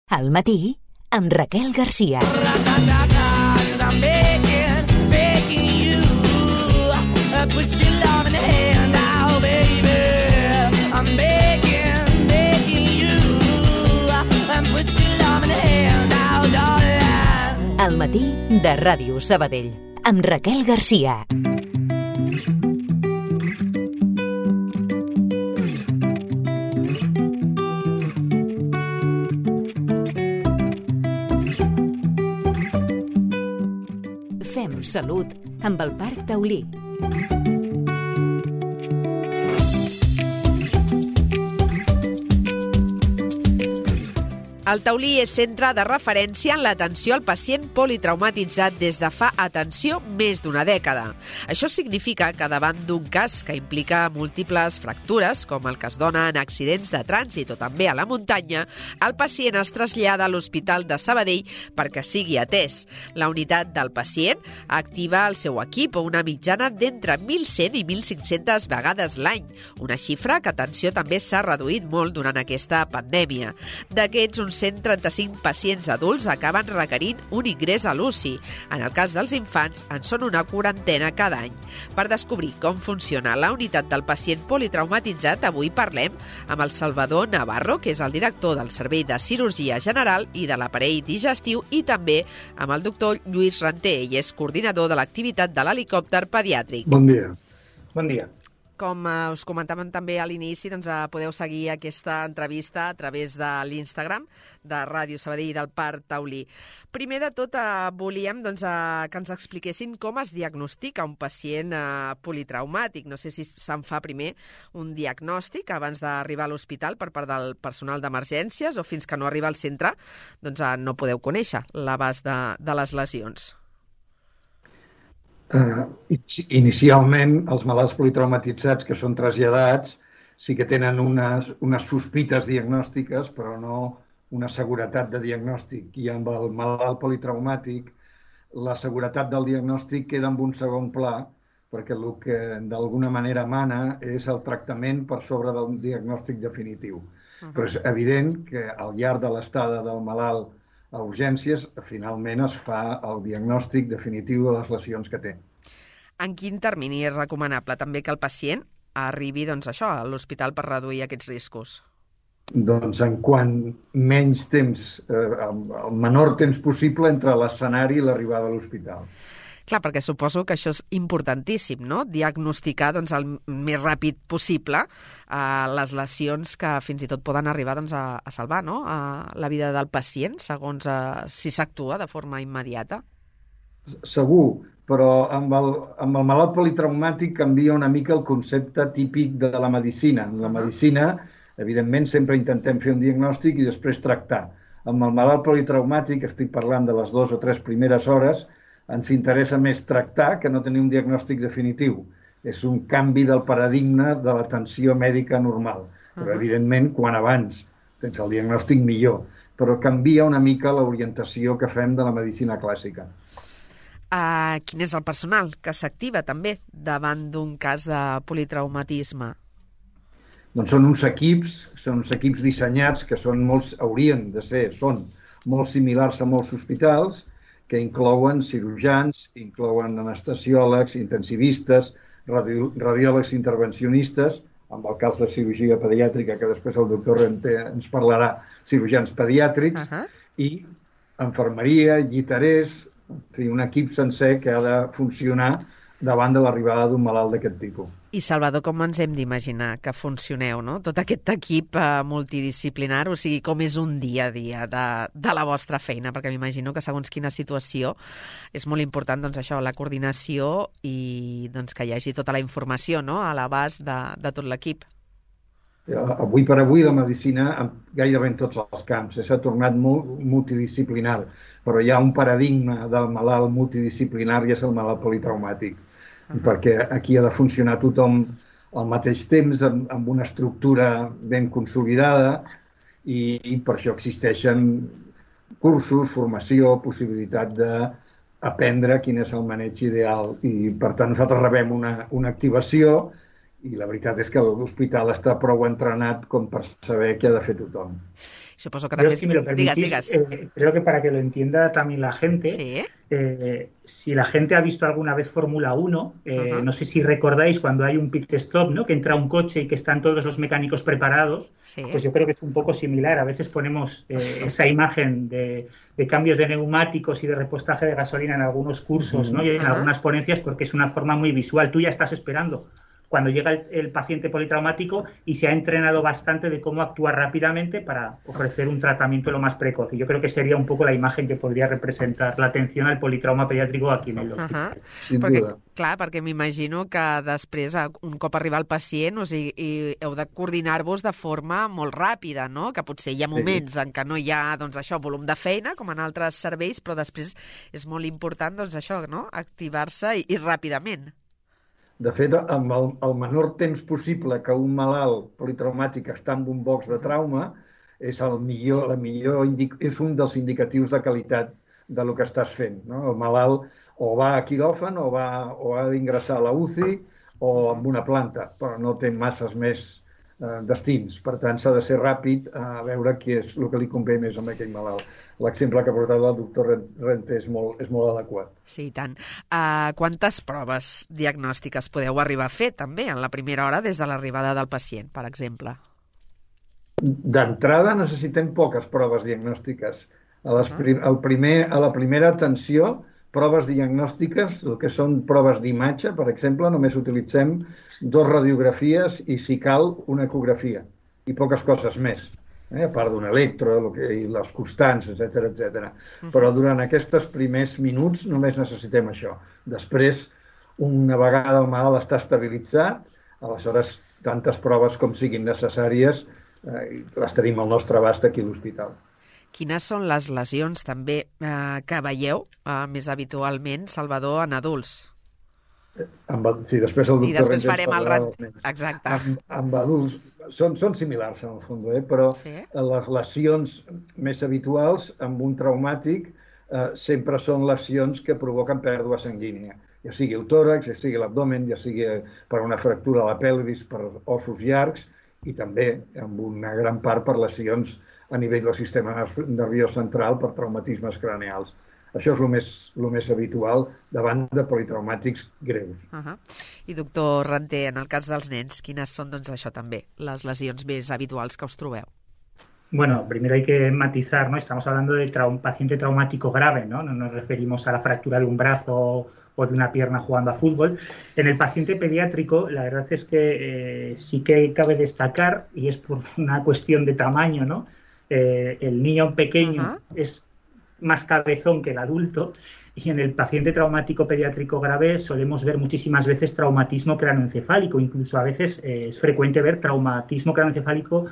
Al matí, amb Raquel Garcia. I'm begging you, put your love in the hand now, baby. I'm begging you, put your love in the hand now, darling. Al matí de Ràdio Sabadell, amb Raquel Garcia. Fem salut amb el Parc Taulí. El Taulí és centre de referència en l'atenció al pacient politraumatitzat des de fa, atenció, més d'una dècada. Això significa que davant d'un cas que implica múltiples fractures, com el que es dona en accidents de trànsit o també a la muntanya, el pacient es trasllada a l'Hospital de Sabadell perquè sigui atès. La unitat del pacient activa el seu equip una mitjana d'entre 1.100 i 1.500 vegades l'any, una xifra que, atenció, també s'ha reduït molt durant aquesta pandèmia. D'aquests, uns 135 pacients adults acaben requerint un ingrés a l'UCI. En el cas dels infants, en són una quarantena cada any. Per descobrir com funciona la unitat del pacient politraumatitzat, avui parlem amb el Salvador Navarro, que és el director del Servei de Cirurgia General i de l'Aparell Digestiu, i també amb el doctor Lluís Ranter, ell és coordinador de l'activitat de l'helicòpter pediàtric. Bon dia. Bon dia. Com us comentàvem també a l'inici, doncs podeu seguir aquesta entrevista a través de l'Instagram de Ràdio Sabadell i del Parc Taulí. Primer de tot, volíem que ens expliquessin com es diagnostica un pacient politraumàtic. No sé si se'n fa primer un diagnòstic abans d'arribar a l'hospital per part del personal d'emergències o fins que no arriba al centre, doncs no podeu conèixer l'abast de les lesions. Inicialment, els malalts politraumatitzats que són traslladats sí que tenen unes sospites diagnòstiques, però no una seguretat de diagnòstic. I amb el malalt politraumàtic, la seguretat del diagnòstic queda en un segon pla, perquè el que d'alguna manera mana és el tractament per sobre del diagnòstic definitiu. Però és evident que al llarg de l'estada del malalt a urgències, finalment es fa el diagnòstic definitiu de les lesions que té. En quin termini és recomanable també que el pacient arribi a l'hospital per reduir aquests riscos? Doncs en quant menys temps, el menor temps possible entre l'escenari i l'arribada a l'hospital. Clar, perquè suposo que això és importantíssim, no? Diagnosticar el més ràpid possible les lesions que fins i tot poden arribar a salvar, no? La vida del pacient, segons si s'actua de forma immediata. Segur, però amb el malalt politraumàtic canvia una mica el concepte típic de la medicina. En la medicina, evidentment, sempre intentem fer un diagnòstic i després tractar. Amb el malalt politraumàtic, estic parlant de les 2 o 3 primeres hores, ens interessa més tractar que no tenir un diagnòstic definitiu. És un canvi del paradigma de l'atenció mèdica normal. Però, evidentment, quan abans tens el diagnòstic, millor. Però canvia una mica l'orientació que fem de la medicina clàssica. Quin és el personal que s'activa també davant d'un cas de politraumatisme? Doncs són uns equips dissenyats que són molt similars a molts hospitals, que inclouen cirurgians, inclouen anestesiòlegs, intensivistes, radiòlegs intervencionistes, amb el cas de cirurgia pediàtrica, que després el doctor Renter ens parlarà, cirurgians pediàtrics, i infermeria, lliterers, un equip sencer que ha de funcionar davant de l'arribada d'un malalt d'aquest tipus. I, Salvador, com ens hem d'imaginar que funcioneu, no? Tot aquest equip multidisciplinar, o sigui, com és un dia a dia de la vostra feina? Perquè m'imagino que segons quina situació és molt important, la coordinació i que hi hagi tota la informació, no?, a l'abast de tot l'equip. Avui per avui la medicina, gairebé en tots els camps, s'ha tornat molt multidisciplinar, però hi ha un paradigma del malalt multidisciplinar i és el malalt politraumàtic, perquè aquí ha de funcionar tothom al mateix temps, amb una estructura ben consolidada, i per això existeixen cursos, formació, possibilitat d'aprendre quin és el maneig ideal. I, per tant, nosaltres rebem una activació i la veritat és que l'hospital està prou entrenat com per saber què ha de fer tothom. Suposo que Yo, també... si me lo permitís, creo que para que lo entienda también la gente, Sí. Si la gente ha visto alguna vez Fórmula 1, no sé si recordáis cuando hay un pit stop, ¿no? Que entra un coche y que están todos los mecánicos preparados, Sí. pues yo creo que es un poco similar. A veces ponemos esa imagen de cambios de neumáticos y de repostaje de gasolina en algunos cursos, ¿no? Y en algunas ponencias, porque es una forma muy visual. Tú ya estás esperando cuando llega el paciente politraumático y se ha entrenado bastante de cómo actuar rápidamente para ofrecer un tratamiento lo más precoz. Y yo creo que sería un poco la imagen que podría representar la atención al politrauma pediàtric aquí en l'hospital. Clar, perquè m'imagino que després, un cop arriba el pacient, o sigui, heu de coordinar-vos de forma molt ràpida, no? Que potser hi ha moments en què no hi ha, doncs, això, volum de feina, com en altres serveis, però després és molt important, doncs, això, no? Activar-se i ràpidament. De fet, amb el menor temps possible que un malalt politraumàtic està en un box de trauma és és un dels indicatius de qualitat de lo que estàs fent, no? El malalt o va a quiròfan o ha d'ingressar a la UCI o amb una planta, però no té masses més destins. Per tant, s'ha de ser ràpid a veure què és el que li convé més a aquell malalt. L'exemple que ha portat el doctor Rente és molt adequat. Sí, i tant. Quantes proves diagnòstiques podeu arribar a fer, també, en la primera hora des de l'arribada del pacient, per exemple? D'entrada necessitem poques proves diagnòstiques. A la primera atenció, proves diagnòstiques, el que són proves d'imatge, per exemple, només utilitzem 2 radiografies i, si cal, una ecografia. I poques coses més, a part d'un electro i les constants, etc. Però durant aquests primers minuts només necessitem això. Després, una vegada el malalt està estabilitzat, aleshores tantes proves com siguin necessàries les tenim al nostre abast aquí a l'hospital. Quines són les lesions també que veieu més habitualment, Salvador, en adults? Sí, després el doctor... I després farem el... Exacte. Amb adults són similars, en el fons, però les lesions més habituals amb un traumàtic sempre són lesions que provoquen pèrdua sanguínia, ja sigui el tòrax, ja sigui l'abdomen, ja sigui per una fractura a la pelvis, per ossos llargs, i també, amb una gran part, per lesions a nivell del sistema nerviós central per traumatismes craneals. Això és el més habitual davant de politraumàtics greus. I doctor Rente, en el cas dels nens, quines són, doncs, això també, les lesions més habituals que us trobeu? Bueno, primero hay que matizar, ¿no? Estamos hablando de un paciente traumático grave, ¿no? No nos referimos a la fractura de un brazo o de una pierna jugando a fútbol. En el paciente pediátrico, la verdad es que sí que cabe destacar, y es por una cuestión de tamaño, ¿no? El niño pequeño es más cabezón que el adulto, y en el paciente traumático pediátrico grave solemos ver muchísimas veces traumatismo craneoencefálico, incluso a veces es frecuente ver traumatismo craneoencefálico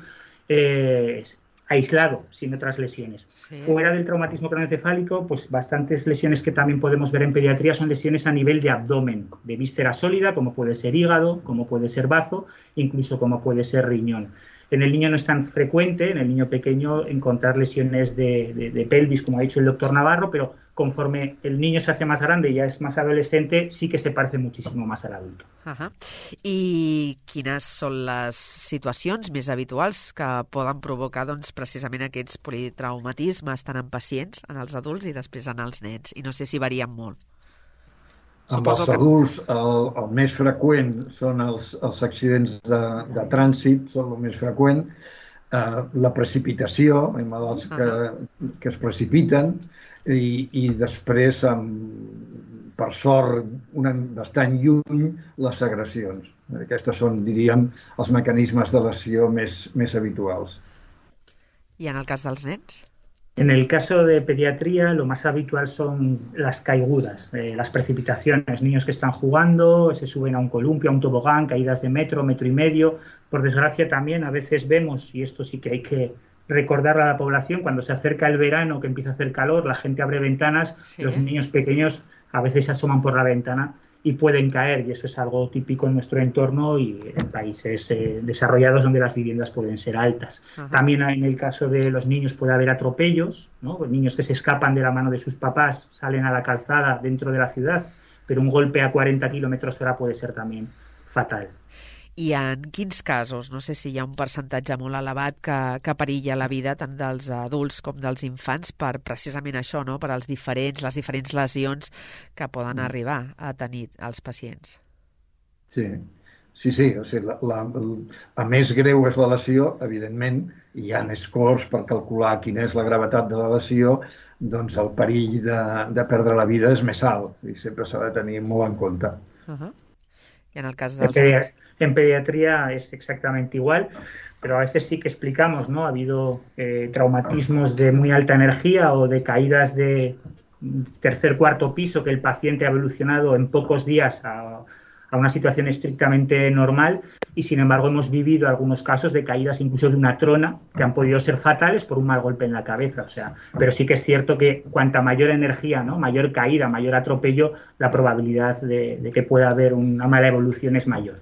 aislado, sin otras lesiones. Sí. Fuera del traumatismo craneoencefálico, pues bastantes lesiones que también podemos ver en pediatría son lesiones a nivel de abdomen, de víscera sólida, como puede ser hígado, como puede ser bazo, incluso como puede ser riñón. En el niño no es tan frecuente, en el niño pequeño, encontrar lesiones de pelvis, como ha dicho el doctor Navarro, pero conforme el niño se hace más grande y ya es más adolescente, sí que se parece muchísimo más al adulto. I quines són les situacions més habituals que poden provocar, doncs, precisament aquests politraumatismes tant en pacients, en els adults i després en els nens? I no sé si varien molt. Amb els adults el més freqüent són els accidents de trànsit, són el més freqüent, la precipitació, hi ha malalts que es precipiten, i després, per sort, bastant lluny, les agressions. Aquests són, diríem, els mecanismes de lesió més habituals. I en el cas dels nens? En el caso de pediatría, lo más habitual son las caigudas, las precipitaciones, niños que están jugando, se suben a un columpio, a un tobogán, caídas de metro y medio. Por desgracia también a veces vemos, y esto sí que hay que recordar a la población, cuando se acerca el verano, que empieza a hacer calor, la gente abre ventanas, los niños pequeños a veces se asoman por la ventana y pueden caer, y eso es algo típico en nuestro entorno y en países desarrollados donde las viviendas pueden ser altas. También en el caso de los niños puede haber atropellos, ¿no? Niños que se escapan de la mano de sus papás, salen a la calzada dentro de la ciudad, pero un golpe a 40 km/h puede ser también fatal. I en quins casos? No sé si hi ha un percentatge molt elevat que perilla la vida tant dels adults com dels infants per precisament això, no? Per les diferents lesions que poden arribar a tenir els pacients. Sí. O sigui, a més greu és la lesió, evidentment, hi ha scores per calcular quina és la gravetat de la lesió, doncs el perill de perdre la vida és més alt i sempre s'ha de tenir molt en compte. I en el cas dels... En pediatría es exactamente igual, pero a veces sí que explicamos, ¿no? Ha habido traumatismos de muy alta energía o de caídas de tercer, cuarto piso que el paciente ha evolucionado en pocos días a una situación estrictamente normal y, sin embargo, hemos vivido algunos casos de caídas incluso de una trona que han podido ser fatales por un mal golpe en la cabeza. O sea, pero sí que es cierto que cuanta mayor energía, ¿no? Mayor caída, mayor atropello, la probabilidad de que pueda haber una mala evolución es mayor.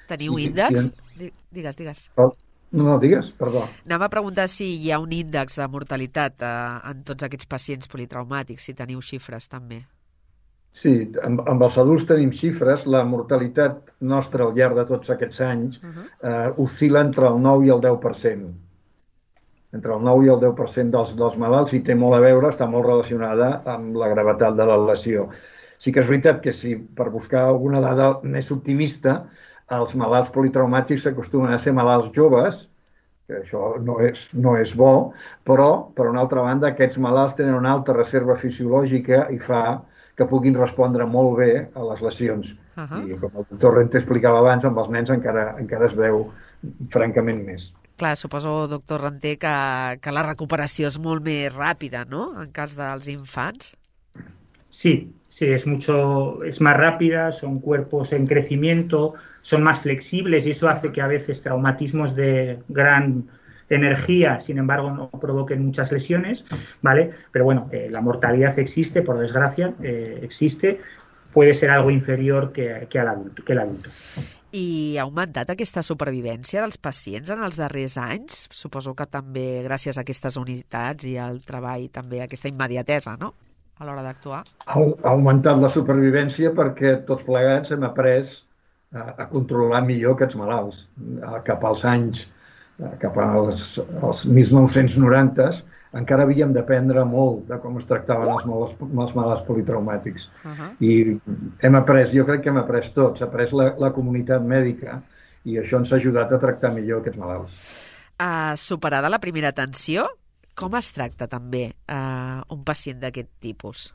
¿Teniu índex? Digues. No, digues, perdó. Anava a preguntar si hi ha un índex de mortalitat en tots aquests pacients politraumàtics, si teniu xifres també. Sí, amb els adults tenim xifres. La mortalitat nostra al llarg de tots aquests anys oscil·la entre el 9 i el 10%. Entre el 9 i el 10% dels malalts i té molt a veure, està molt relacionada amb la gravetat de la lesió. Sí que és veritat que si per buscar alguna dada més optimista, els malalts politraumàtics s'acostumen a ser malalts joves, que això no és bo, però, per una altra banda, aquests malalts tenen una alta reserva fisiològica i fa que puguin respondre molt bé a les lesions. I com el doctor Rente explicava abans, amb els nens encara es veu francament més. Clar, suposo, doctor Rente, que la recuperació és molt més ràpida, ¿no?, en cas dels infants. Sí, es más rápida, son cuerpos en crecimiento, son más flexibles y eso hace que a veces traumatismos de gran energía, sin embargo, no provoquen muchas lesiones, ¿vale? Pero bueno, la mortalidad existe, por desgracia, existe, puede ser algo inferior que l'adulto. I ha augmentat aquesta supervivència dels pacients en els darrers anys? Suposo que també gràcies a aquestes unitats i al treball, també aquesta immediatesa, no?, a l'hora d'actuar. Ha augmentat la supervivència perquè tots plegats hem après a controlar millor aquests malalts. Cap als anys, cap als 1990s, encara havíem d'aprendre molt de com es tractaven els malalts politraumàtics. I hem après, jo crec que hem après tots, ha après la comunitat mèdica i això ens ha ajudat a tractar millor aquests malalts. Superada la primera atenció, com es tracta també un pacient d'aquest tipus?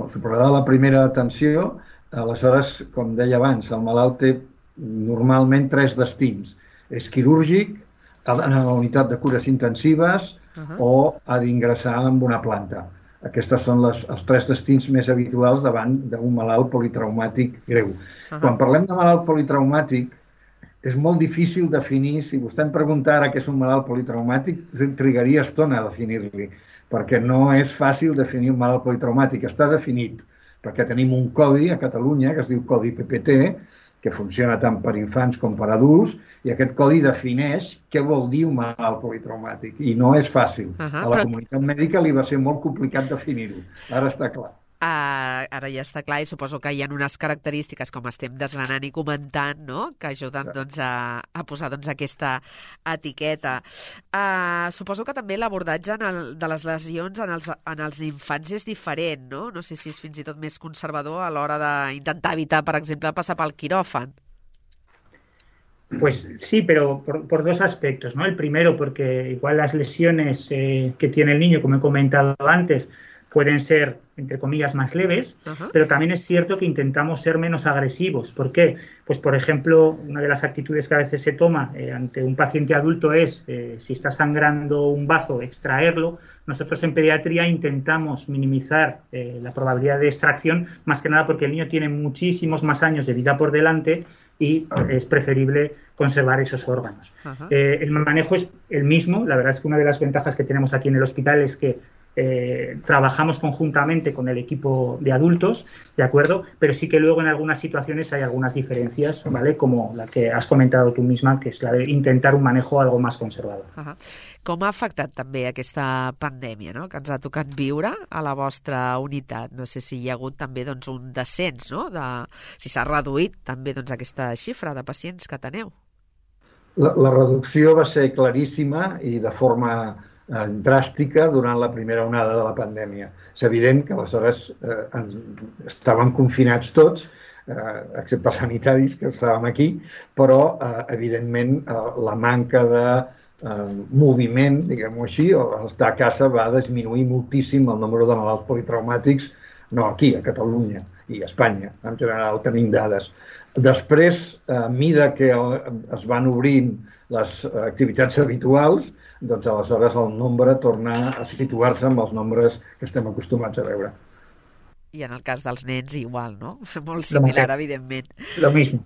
Superada la primera atenció, aleshores, com deia abans, el malalt té normalment 3 destins. És quirúrgic, ha d'anar a la unitat de cures intensives o ha d'ingressar en una planta. Aquests són els 3 destins més habituals davant d'un malalt politraumàtic greu. Quan parlem de malalt politraumàtic, és molt difícil definir, si vostè em pregunta ara què és un malalt politraumàtic, trigaria estona a definir-li, perquè no és fàcil definir un malalt politraumàtic. Està definit perquè tenim un codi a Catalunya que es diu Codi PPT, que funciona tant per infants com per adults, i aquest codi defineix què vol dir un malalt politraumàtic. I no és fàcil. A la comunitat mèdica li va ser molt complicat definir-ho. Ara està clar. Ara ja està clar i suposo que hi ha unes característiques, com estem desgranant i comentant, no?, que ajuden a posar aquesta etiqueta. Suposo que també l'abordatge de les lesions en els infants és diferent, no? No sé si és fins i tot més conservador a l'hora d'intentar evitar, per exemple, passar pel quiròfan. Pues sí, pero por 2 aspectos, ¿no? El primero, porque igual las lesiones que tiene el niño, como he comentado antes, pueden ser, entre comillas, más leves, pero también es cierto que intentamos ser menos agresivos. ¿Por qué? Pues, por ejemplo, una de las actitudes que a veces se toma ante un paciente adulto es, si está sangrando un bazo, extraerlo. Nosotros en pediatría intentamos minimizar la probabilidad de extracción, más que nada porque el niño tiene muchísimos más años de vida por delante y es preferible conservar esos órganos. El manejo es el mismo. La verdad es que una de las ventajas que tenemos aquí en el hospital es que trabajamos conjuntamente con el equipo de adultos, ¿de acuerdo? Pero sí que luego en algunas situaciones hay algunas diferencias, ¿vale? Como la que has comentado tú misma, que és la de intentar un manejo algo más conservador. Com ha afectat també aquesta pandèmia, no?, que ens ha tocat viure a la vostra unitat? No sé si hi ha hagut també doncs, un descens, no?, si s'ha reduït també doncs, aquesta xifra de pacients que teneu. La reducció va ser claríssima i de forma dràstica durant la primera onada de la pandèmia. És evident que aleshores estaven confinats tots, excepte els sanitaris, que estàvem aquí, però, evidentment, la manca de moviment, diguem-ho així, o estar a casa va disminuir moltíssim el nombre de malalts politraumàtics, no aquí, a Catalunya i a Espanya, en general tenim dades. Després, a mesura que es van obrint les activitats habituals, doncs aleshores el nombre torna a situar-se amb els nombres que estem acostumats a veure. I en el cas dels nens igual, no? Molt similar, evidentment. Lo mismo.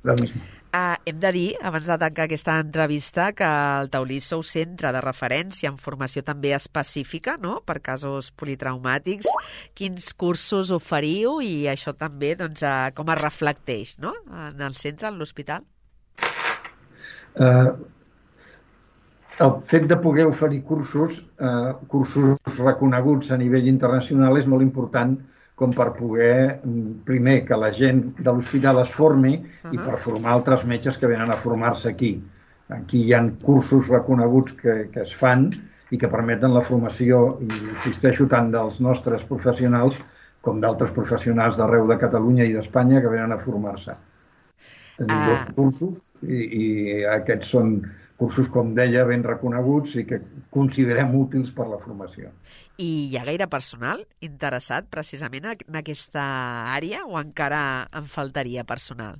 Hem de dir, abans de tancar aquesta entrevista, que el Taulí sou centre de referència en formació també específica, no?, per casos politraumàtics. Quins cursos oferiu i això també doncs, com es reflecteix, no?, en el centre, en l'hospital? El fet de poder oferir cursos reconeguts a nivell internacional és molt important com per poder, primer, que la gent de l'hospital es formi i per formar altres metges que venen a formar-se aquí. Aquí hi ha cursos reconeguts que es fan i que permeten la formació, i insisteixo, tant dels nostres professionals com d'altres professionals d'arreu de Catalunya i d'Espanya que venen a formar-se. Tenim 2 cursos i aquests són cursos, com deia, ben reconeguts i que considerem útils per la formació. I hi ha gaire personal interessat precisament en aquesta àrea o encara en faltaria personal?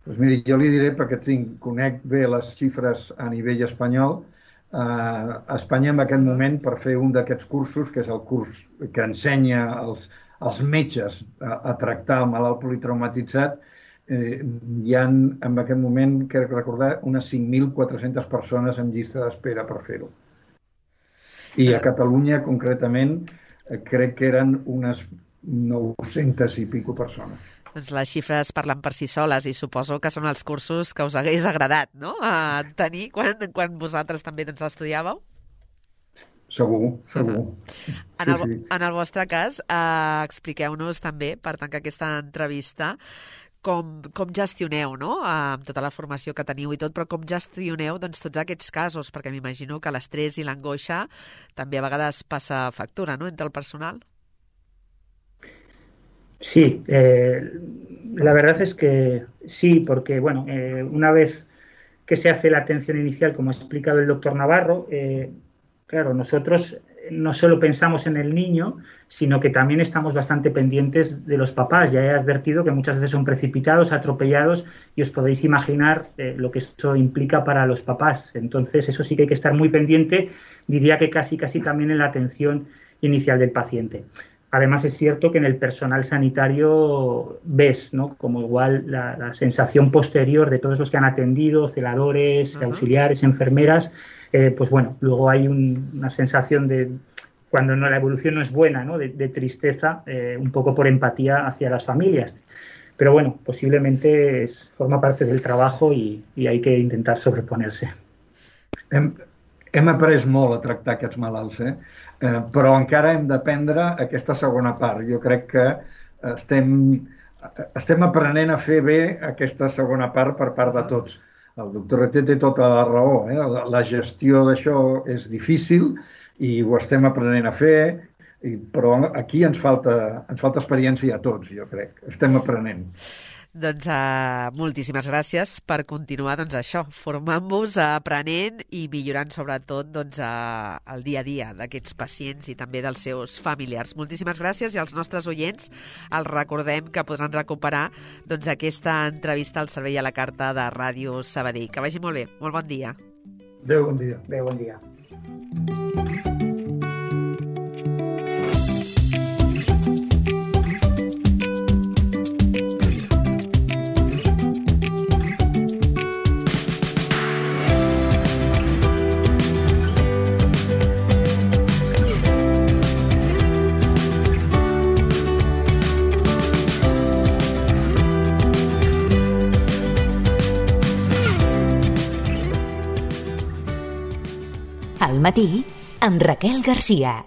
Doncs miri, jo li diré, perquè conec bé les xifres a nivell espanyol. A Espanya, en aquest moment, per fer un d'aquests cursos, que és el curs que ensenya als metges a tractar el malalt politraumatitzat, hi ha, en aquest moment, crec recordar, unes 5.400 persones en llista d'espera per fer-ho. I a Catalunya, concretament, crec que eren unes 900 i pico persones. Doncs les xifres parlen per si soles i suposo que són els cursos que us hagués agradat, no?, a tenir quan vosaltres també doncs, estudiàveu? Segur. En el vostre cas, expliqueu-nos també, per tancar aquesta entrevista, com gestioneu, no?, amb tota la formació que teniu i tot, però com gestioneu doncs, tots aquests casos, perquè m'imagino que l'estrès i l'angoixa també a vegades passa factura, ¿no?, entre el personal. Sí, la verdad es que sí, porque bueno, una vez que se hace la atención inicial, como ha explicado el doctor Navarro, claro, nosotros no solo pensamos en el niño, sino que también estamos bastante pendientes de los papás. Ya he advertido que muchas veces son precipitados, atropellados, y os podéis imaginar lo que eso implica para los papás. Entonces, eso sí que hay que estar muy pendiente, diría que casi también en la atención inicial del paciente. Además, es cierto que en el personal sanitario ves, ¿no?, como igual la sensación posterior de todos los que han atendido, celadores, auxiliares, enfermeras, pues bueno, luego hay una sensación de, cuando la evolución no es buena, ¿no?, de tristeza, un poco por empatía hacia las familias. Pero bueno, posiblemente forma parte del trabajo y hay que intentar sobreponerse. Hem après molt a tractar aquests malalts, però encara hem d'aprendre aquesta segona part. Jo crec que estem aprenent a fer bé aquesta segona part per part de tots. El doctor Reté té tota la raó. La gestió d'això és difícil i ho estem aprenent a fer, però aquí ens falta experiència a tots, jo crec. Estem aprenent. Doncs moltíssimes gràcies per continuar això, formant-vos, aprenent i millorant sobretot el dia a dia d'aquests pacients i també dels seus familiars. Moltíssimes gràcies i als nostres oients els recordem que podran recuperar aquesta entrevista al servei a la carta de Ràdio Sabadell. Que vagi molt bé. Molt bon dia. Adéu, bon dia. Adéu, bon dia. al matí amb Raquel Garcia.